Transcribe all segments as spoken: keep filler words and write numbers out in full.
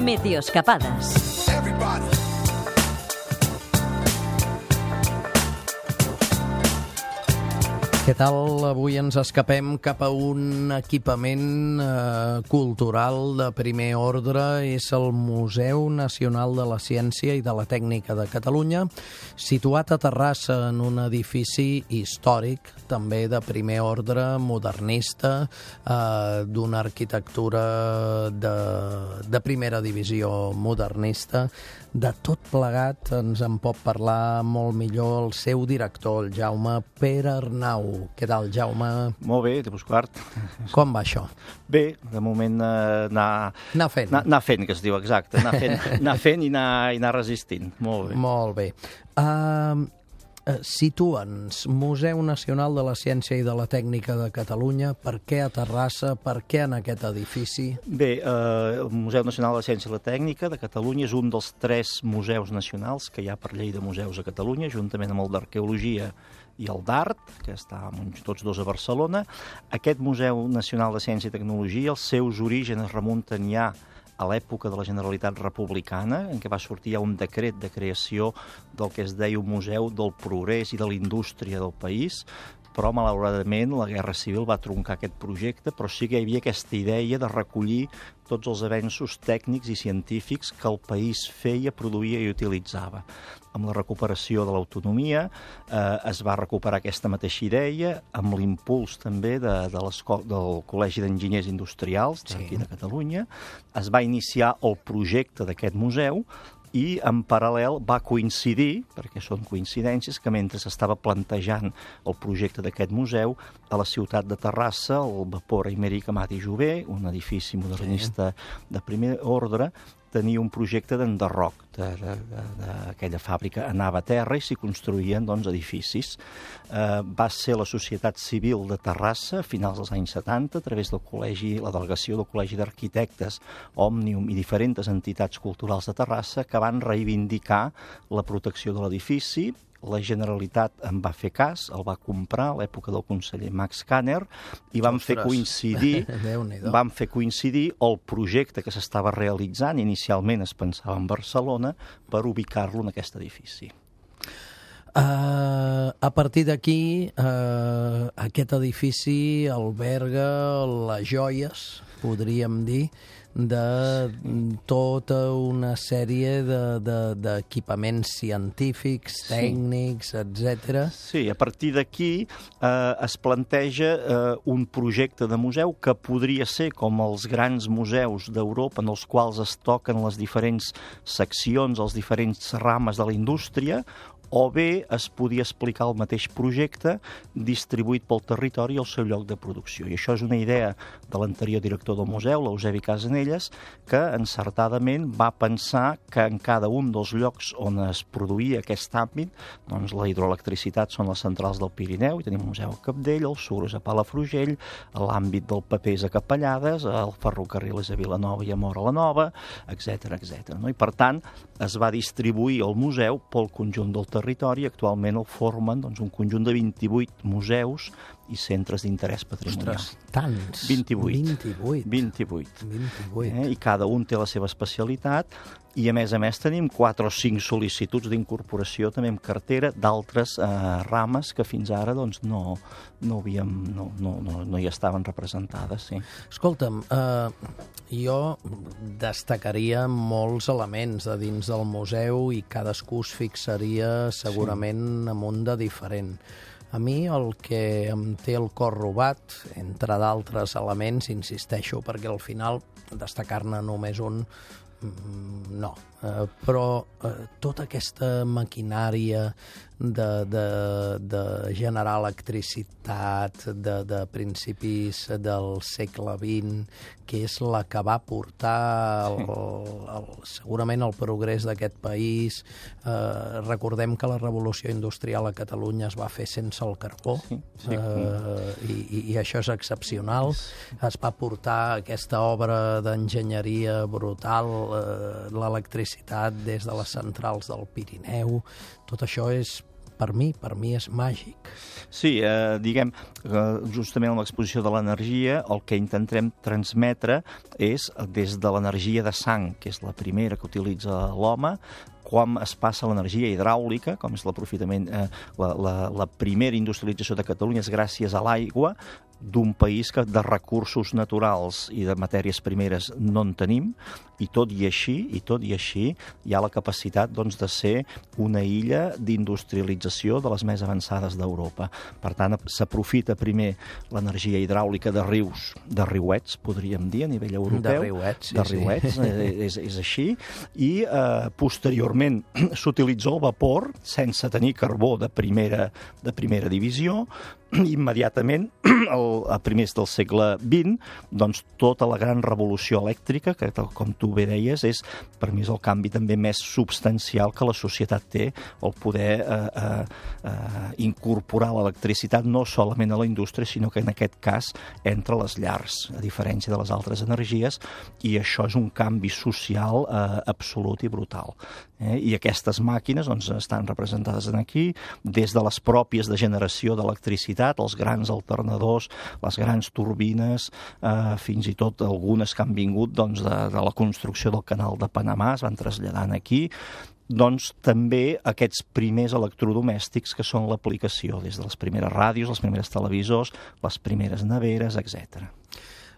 Meteoscapades. Què tal? Avui ens escapem cap a un equipament eh, cultural de primer ordre. És el Museu Nacional de la Ciència i de la Tècnica de Catalunya, situat a Terrassa en un edifici històric, també de primer ordre, modernista, eh, d'una arquitectura de, de primera divisió modernista. De tot plegat ens en pot parlar molt millor el seu director, el Jaume Pere Arnau. Què tal, Jaume? Molt bé, de Busquart. Com va això? Bé, de moment eh, anar... Anar fent. Anar, anar fent, que es diu, exacte. Anar fent, anar fent i, anar, i anar resistint. Molt bé. Molt bé. Uh, uh, situa'ns, Museu Nacional de la Ciència i de la Tècnica de Catalunya, per què a Terrassa, per què en aquest edifici? Bé, eh, el Museu Nacional de la Ciència i la Tècnica de Catalunya és un dels tres museus nacionals que hi ha per llei de museus a Catalunya, juntament amb el d'Arqueologia i el d'Art, que està tots dos a Barcelona. Aquest Museu Nacional de Ciència i Tecnologia, els seus orígens es remunten ja a l'època de la Generalitat Republicana, en què va sortir ja un decret de creació del que es deia un museu del progrés i de la indústria del país, però malauradament la Guerra Civil va truncar aquest projecte, però sí que hi havia aquesta idea de recollir tots els avenços tècnics i científics que el país feia, produïa i utilitzava. Amb la recuperació de l'autonomia eh, es va recuperar aquesta mateixa idea, amb l'impuls també de, de del Col·legi d'Enginyers Industrials d'aquí de Catalunya. Es va iniciar el projecte d'aquest museu i en paral·lel va coincidir, perquè són coincidències, que mentre s'estava plantejant el projecte d'aquest museu, a la ciutat de Terrassa, el Vapor Aimeric Amat i Jové, un edifici modernista de primer ordre, tenia un projecte d'enderroc d'aquella fàbrica. Anava a terra i s'hi construïen doncs, edificis. Eh, va ser la Societat Civil de Terrassa, a finals dels anys setanta, a través del col·legi, la delegació del Col·legi d'Arquitectes, Òmnium i diferents entitats culturals de Terrassa, que van reivindicar la protecció de l'edifici. La Generalitat en va fer cas, el va comprar a l'època del conseller Max Kanner i van fer coincidir van fer coincidir el projecte que s'estava realitzant. Inicialment es pensava en Barcelona per ubicar-lo en aquest edifici. Uh, a partir d'aquí, uh, aquest edifici alberga les joies, podríem dir, de tota una sèrie d'equipaments científics, tècnics, etcètera. Sí, a partir d'aquí eh, es planteja eh, un projecte de museu que podria ser com els grans museus d'Europa en els quals es toquen les diferents seccions, els diferents rames de la indústria, o bé es podia explicar el mateix projecte distribuït pel territori al seu lloc de producció. I això és una idea de l'anterior director del museu, l'Eusebi Casanelles, que encertadament va pensar que en cada un dels llocs on es produïa aquest àmbit, doncs la hidroelectricitat són les centrals del Pirineu, i tenim un museu a Capdell, el Suro és a Palafrugell, l'àmbit del paper és a Capellades, el ferrocarril és a Vilanova i a Móra la Nova, etcètera, etcètera. No? I per tant, es va distribuir el museu pel conjunt del territori. Actualment el formen doncs, un conjunt de vint-i-vuit museus i centres d'interès patrimonial. Ostres, tants! vint-i-vuit. vint-i-vuit. vint-i-vuit. vint-i-vuit. Eh? I cada un té la seva especialitat i, a més a més, tenim quatre o cinc sol·licituds d'incorporació també en cartera d'altres eh, rames que fins ara doncs, no, no, havíem, no, no, no, no hi estaven representades. Sí. Escolta'm, eh, jo destacaria molts elements de dins del museu i cadascú es fixaria segurament sí. en un de diferent. A mi el que em té el cor robat, entre d'altres elements, insisteixo, perquè al final destacar-ne només un, no. Eh, però eh, tota aquesta maquinària de, de, de generar electricitat de, de principis del segle vint, que és la que va portar el, el, segurament el progrés d'aquest país. Eh, recordem que la revolució industrial a Catalunya es va fer sense el carbó, sí, sí. Eh, i, i això és excepcional. Es va portar aquesta obra d'enginyeria brutal, eh, l'electricitat des de les centrals del Pirineu. Tot això és per mi, per mi és màgic. Sí, eh, diguem, eh, justament en l'exposició de l'energia, el que intentem transmetre és des de l'energia de sang, que és la primera que utilitza l'home, com es passa l'energia hidràulica, com és l'aprofitament, eh, la, la, la primera industrialització de Catalunya és gràcies a l'aigua, d'un país que de recursos naturals i de matèries primeres no en tenim, i tot i així, i tot i així, hi ha la capacitat doncs, de ser una illa d'industrialització de les més avançades d'Europa. Per tant, s'aprofita primer l'energia hidràulica de rius, de riuets, podríem dir, a nivell europeu. De riuets, sí, de riuets, sí. És, és així. I eh, posteriorment s'utilitza el vapor, sense tenir carbó de primera, de primera divisió, immediatament, el, a primers del segle vint, doncs tota la gran revolució elèctrica, que com tu bé deies, és per mi és el canvi també més substancial que la societat té, el poder eh, eh, eh, incorporar l'electricitat no solament a la indústria, sinó que en aquest cas entre les llars, a diferència de les altres energies, i això és un canvi social eh, absolut i brutal. Eh? I aquestes màquines doncs, estan representades aquí, des de les pròpies de generació d'electricitat, els grans alternadors, les grans turbines, eh, fins i tot algunes que han vingut doncs, de, de la construcció del canal de Panamà, es van traslladant aquí, doncs també aquests primers electrodomèstics que són l'aplicació, des de les primeres ràdios, els primers televisors, les primeres neveres, etcètera.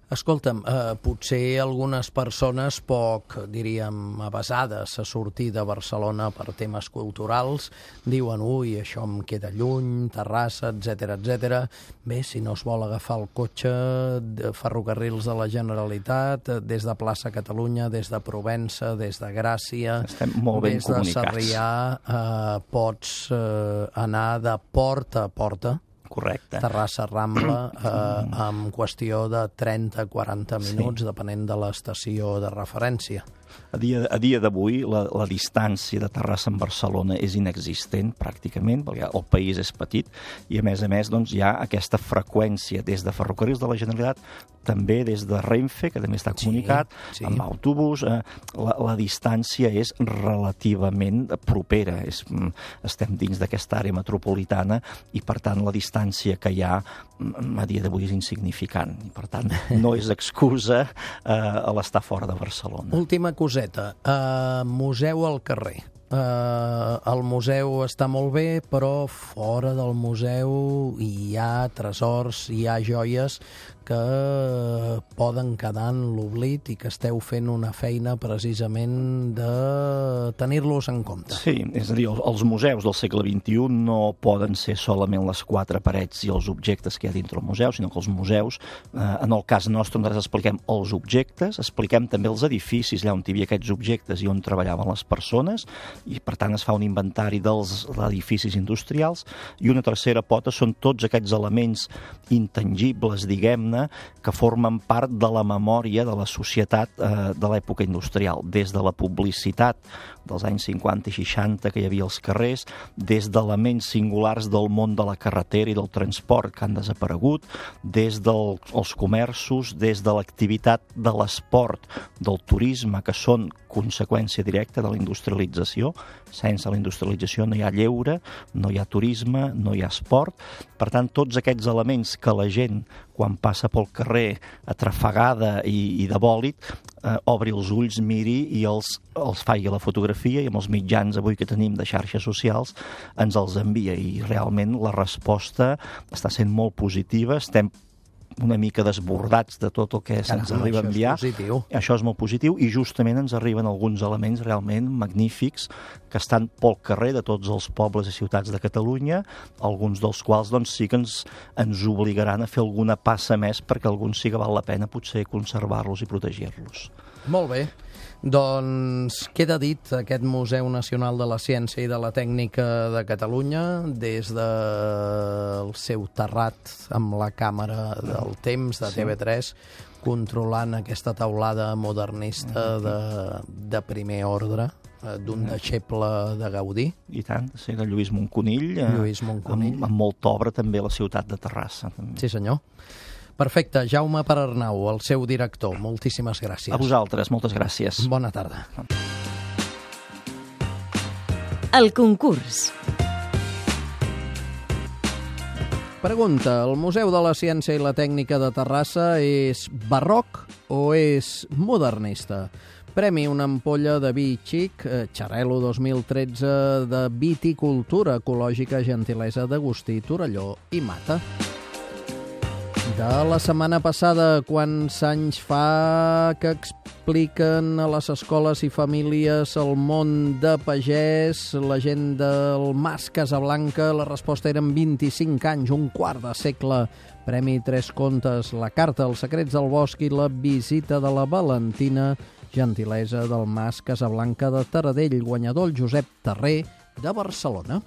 Escolta'm, eh, potser algunes persones poc, diríem, avasades a sortir de Barcelona per temes culturals diuen, ui, això em queda lluny, Terrassa, etcètera, etcètera. Bé, si no es vol agafar el cotxe, de ferrocarrils de la Generalitat, des de plaça Catalunya, des de Provença, des de Gràcia, estem molt ben des comunicats. de Sarrià, eh, pots eh, anar de porta a porta. Correcte. Terrassa Rambla, eh, en qüestió de trenta a quaranta minuts, sí, depenent de l'estació de referència. A dia, a dia d'avui la, la distància de Terrassa amb Barcelona és inexistent pràcticament, perquè el país és petit i a més a més doncs, hi ha aquesta freqüència des de ferrocarrils de la Generalitat, també des de Renfe, que també està comunicat, sí, sí, amb autobús. Eh, la, la distància és relativament propera. És, estem dins d'aquesta àrea metropolitana i per tant la distància que hi ha a dia d'avui és insignificant. I per tant no és excusa eh, a l'estar fora de Barcelona. Última coseta, uh, museu al carrer. Uh, el museu està molt bé, però fora del museu hi ha tresors, hi ha joies que poden quedar en l'oblit i que esteu fent una feina precisament de tenir-los en compte. Sí, és a dir, els museus del segle vint-i-u no poden ser solament les quatre parets i els objectes que hi ha dintre el museu, sinó que els museus, eh, en el cas nostre, nosaltres expliquem els objectes, expliquem també els edificis allà on hi havia aquests objectes i on treballaven les persones, i per tant es fa un inventari dels edificis industrials, i una tercera pota són tots aquests elements intangibles, diguem-ne, que formen part de la memòria de la societat eh, de l'època industrial, des de la publicitat dels anys cinquanta i seixanta que hi havia als carrers, des d'elements singulars del món de la carretera i del transport que han desaparegut, des dels comerços, des de l'activitat de l'esport, del turisme, que són conseqüència directa de la industrialització. Sense la industrialització no hi ha lleure, no hi ha turisme, no hi ha esport. Per tant, tots aquests elements que la gent, quan passa pel carrer atrafegada i, i de bòlit, eh, obri els ulls, miri i els, els faci la fotografia, i amb els mitjans avui que tenim de xarxes socials ens els envia, i realment la resposta està sent molt positiva. Estem una mica desbordats de tot el que se'ns arriba a enviar. Això és positiu. Això és molt positiu, i justament ens arriben alguns elements realment magnífics que estan pel carrer de tots els pobles i ciutats de Catalunya, alguns dels quals doncs, sí que ens, ens obligaran a fer alguna passa més perquè alguns sí que val la pena potser conservar-los i protegir-los. Molt bé. Doncs queda dit aquest Museu Nacional de la Ciència i de la Tècnica de Catalunya, des del seu terrat amb la càmera del temps de T V tres, controlant aquesta taulada modernista de, de primer ordre, d'un deixeble de Gaudí. I tant, sí, de Lluís Monconill, Lluís Monconill. Amb, amb molta obra també a la ciutat de Terrassa. També. Sí, senyor. Perfecte. Jaume Perarnau, el seu director, moltíssimes gràcies. A vosaltres, moltes gràcies. Bona tarda. El concurs. Pregunta, el Museu de la Ciència i la Tècnica de Terrassa és barroc o és modernista? Premi una ampolla de vi xic, Xarel·lo dos mil tretze de viticultura ecològica, gentilesa d'Agustí Torelló i Mata. De la setmana passada, quants anys fa que expliquen a les escoles i famílies el món de pagès, la gent del Mas Casablanca? La resposta eren vint-i-cinc anys, un quart de segle. Premi Tres Contes, la carta Els secrets del bosc i la visita de la Valentina, gentilesa del Mas Casablanca de Taradell, guanyador el Josep Terrer de Barcelona.